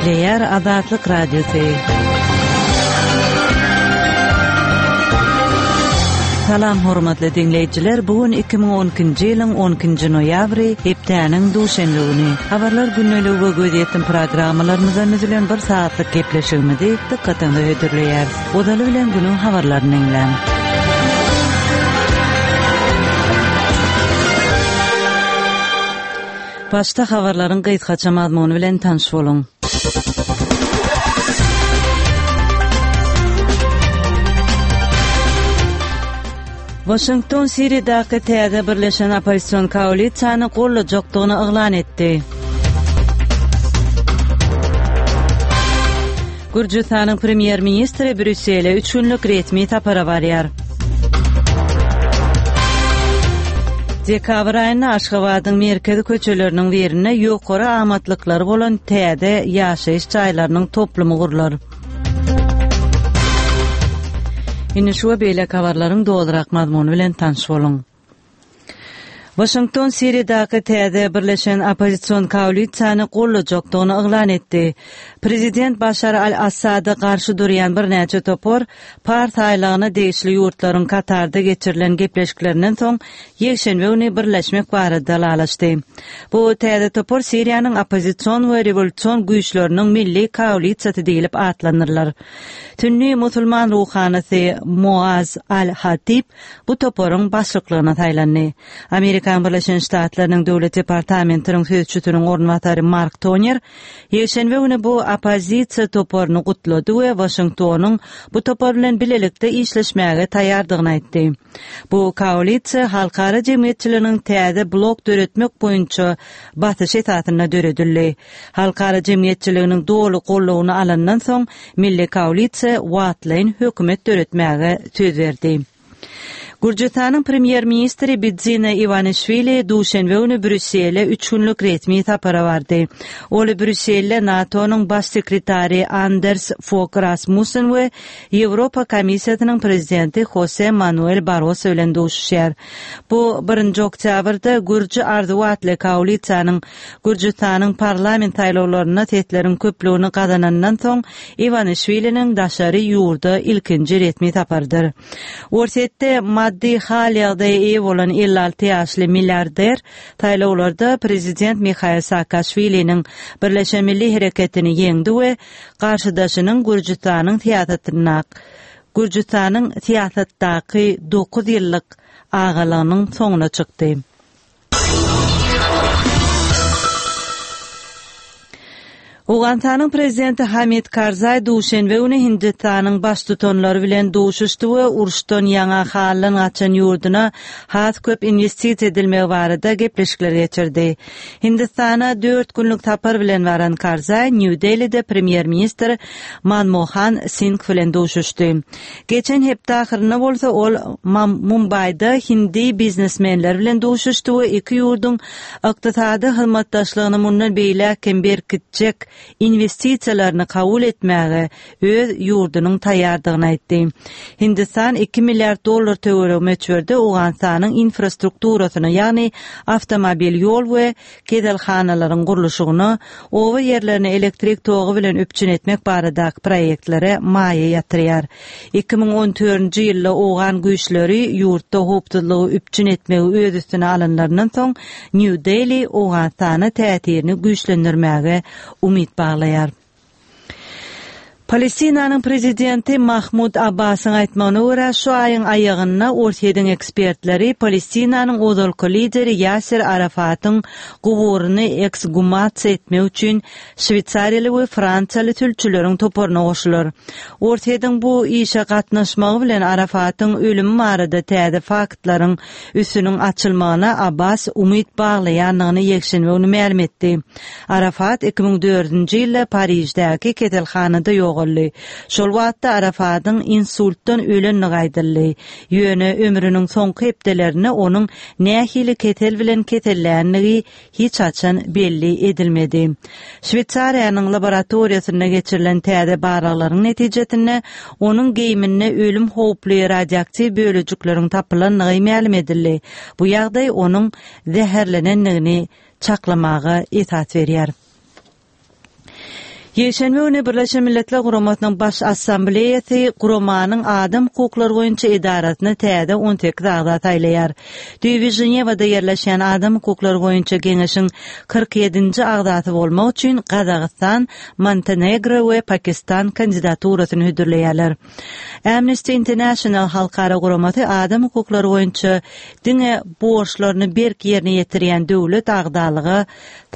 Gepleýär Azatlyk Radiosy. Salam hormatly diňleýjiler, bu gün 2012-nji ýylyň 12-nji noýabry, hepdäniň duşenbe güni. Habarlar gündeligi we gözýetim programmalarymyzdan düzülen bir sagatlyk gepleşigimizi dykgatyňyza hödürleýäris. Ozaly bilen günüň habarlaryny diňläň. Başda habarlaryň gysgaça mazmuny bilen tanyş boluň. Waşington Siriýadaky täze birleşen oppozision koalisiýany gollajakdygyny yglan etdi. Gürjüstanyň premýer-ministri Brýussele üç günlük resmi sapara barýar. Dekabr aýynda Aşgabadyň merkezi köçeleriniň birinde ýokary amatlyklary bolan täze ýaşaýyş jaýlarynyň toplumy gurlar. Indi şu we beýleki habarlaryň dolurak mazmuny bilen tanyş boluň. Waşington Siriýadaky täze birleşen oppozision koalisiýany goldajakdygyny yglan etdi. Prezident Başar al-Assada garşy durýan birnäçe topar Pars aýlagyna degişli ýurtlaryň Katarda geçirilen gepleşiklerinden soň ýekşenbe güni birleşmek barada ylalaşdy. Bu täze topar Siriýanyň oppozision we rewolýusion güýçleriniň milli koalisiýasy diýlip atlandyrylar. Sünni musulman ruhanysy Moaz al-Hatib bu toparyň başlyklygyna saýlandy. Amerikanyň Birleşen Ştatlarynyň Döwlet departamentiniň sözçüsiniň orunbasary Mark Toner ýekşenbe güni bu oppozisiýa toparyny gutlady we Waşingtonyň bu topar bilen bilelikde işleşmäge taýýardygyny aýtdy. Bu koalisiýa halkara jemgyýetçiliginiň täze blok döretmek boýunça basyşy esasynda döredildi. Halkara jemgyýetçiliginiň doly goldawyny alandan soň, Milli koalisiýa wagtlaýyn hökümet döretmäge söz berdi. Gürjüstanyň premýer-ministri Bidzina Iwanişwili duşenbe güni Brýussele üç günlük resmi sapara bardy. Ol Brýusselde NATO-nyň Baş sekretary Anders Fog Rasmussen we Ýewropa Komissiýasynyň prezidenti Hose Manuel Barroso bilen duşuşýar. Bu birinji oktýabrda Gürji arzuwy atly koalisiýanyň Gürjüstanyň parlament saýlawlarynda sesleriň köplügini gazanandan soň Iwanişwiliniň daşary ýurda ilkinji resmi saparydyr. Orsýetde maddy hal-ýagdaýa eýe bolan 56 ýaşly milliarder saýlawlarda prezident Mihail Saakaşwiliniň Birleşen Milli Hereketini ýeňdi we garşydaşynyň Gürjüstanyň syýasatyndak Gürjüstanyň syýasatdaky dokuz ýyllyk agalygynyň soňuna çykdy. Owganystanyň prezidenti Hamid Karzaý duşenbe güni Hindistanyň baştutanlary bilen duşuşdy we uruşdan ýaňa haldan gaçan ýurduna has köp inwestisiýa edilmegi barada gepleşikler geçirdi. Hindistana dört günlük sapar bilen baran Karzaý Nýu-Delide premýer-ministr Manmohan Singh bilen duşuşdy. Geçen hepde ahyrynda bolsa ol Mumbaýda hindi biznesmenleri bilen duşuşdy we iki ýurduň ykdysady hyzmatdaşlygyny mundan beýläk hem berkitjek inwestisiýalaryny kabul etmäge öz ýurdunyň taýýardygyny aýtdy. Hindistan iki milliard dollar töweregi möçberde Owganystanyň infrastrukturasyna, ýagny awtomobil ýol we keselhanalaryň gurluşygyna, oba ýerlerini elektrik togy bilen üpjün etmek baradaky proýektlere maýa ýatyrýar. 2014-nji ýylda owgan güýçleri ýurtda howpsuzlygy üpjün etmegi öz üstüne alanlaryndan soň, Nýu-Deli Owganystana täsirini güýçlendirmäge umyt baglaýar. Palestinanyň prezidenti Mahmud Abbasyň aýtmagyna görä, şu aýyň aýagynda Orsýetiň ekspertleri Palestinanyň ozalky lideri Ýaser Arafatyň guburyny eksgumasiýa etmek üçin şweýsariýaly we fransiýaly sülçüleriň toparyna goşular. Orsýetiň bu işe gatnaşmagy bilen Arafatyň ölümi barada täze faktlaryň üstüniň açylmagyna Abbas umyt baglaýandygyny ýekşenbe güni mälim etdi. Arafat 2004-nji ýylda Pariždäki keselhanada ýogaldy. Şol wagtda Arafadyň insultdan ölendigi aýdyldy. Ýöne ömrüniň soňky hepdelerinde onuň nähili kesel bilen keselländigi hiç haçan belli edilmedi. Şweýsariýanyň laboratoriýasynda geçirilen täze barlaglaryň netijesinde onuň geýiminde ölüm howply radioaktiw bölejikleriň tapylandygy mälim edildi. Bu ýagdaý onuň zäherlenendigini çaklamaga esas berýär. Ýekşenbe güni Birleşen Milletler Guramasynyň Baş Assambleýasy guramanyň adam hukuklary boýunça edarasyna täze 18 agza saýlaýar. Düýbi Ženewada ýerleşýän Adam hukuklary boýunça geňeşiň 47-nji agzasy bolmak üçin Gazagystan, Montenegro we Pakistan kandidaturasyny hödürleýärler. Amnesty International halkara guramasy adam hukuklary boýunça diňe borçlaryny berk ýerine ýetirýän döwlet agzalyga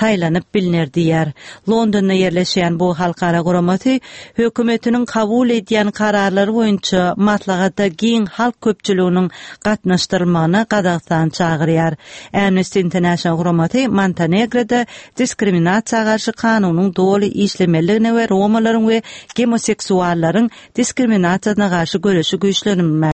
saýlanyp bilner diýýär. Londonda ýerleşýän bu halkara guramasy hökümetiniň kabul edýän kararlary boýunça maslahata giň halk köpçüliginiň gatnaşdyrylmagyna Gazagystany çagyrýar. Amnesty International guramasy Montenegroda diskriminasiýa garşy kanunyň doly işlemelidigine we romalaryň we gemoseksuallaryň diskriminasiýasyna garşy göreşi güýçlendirmäge.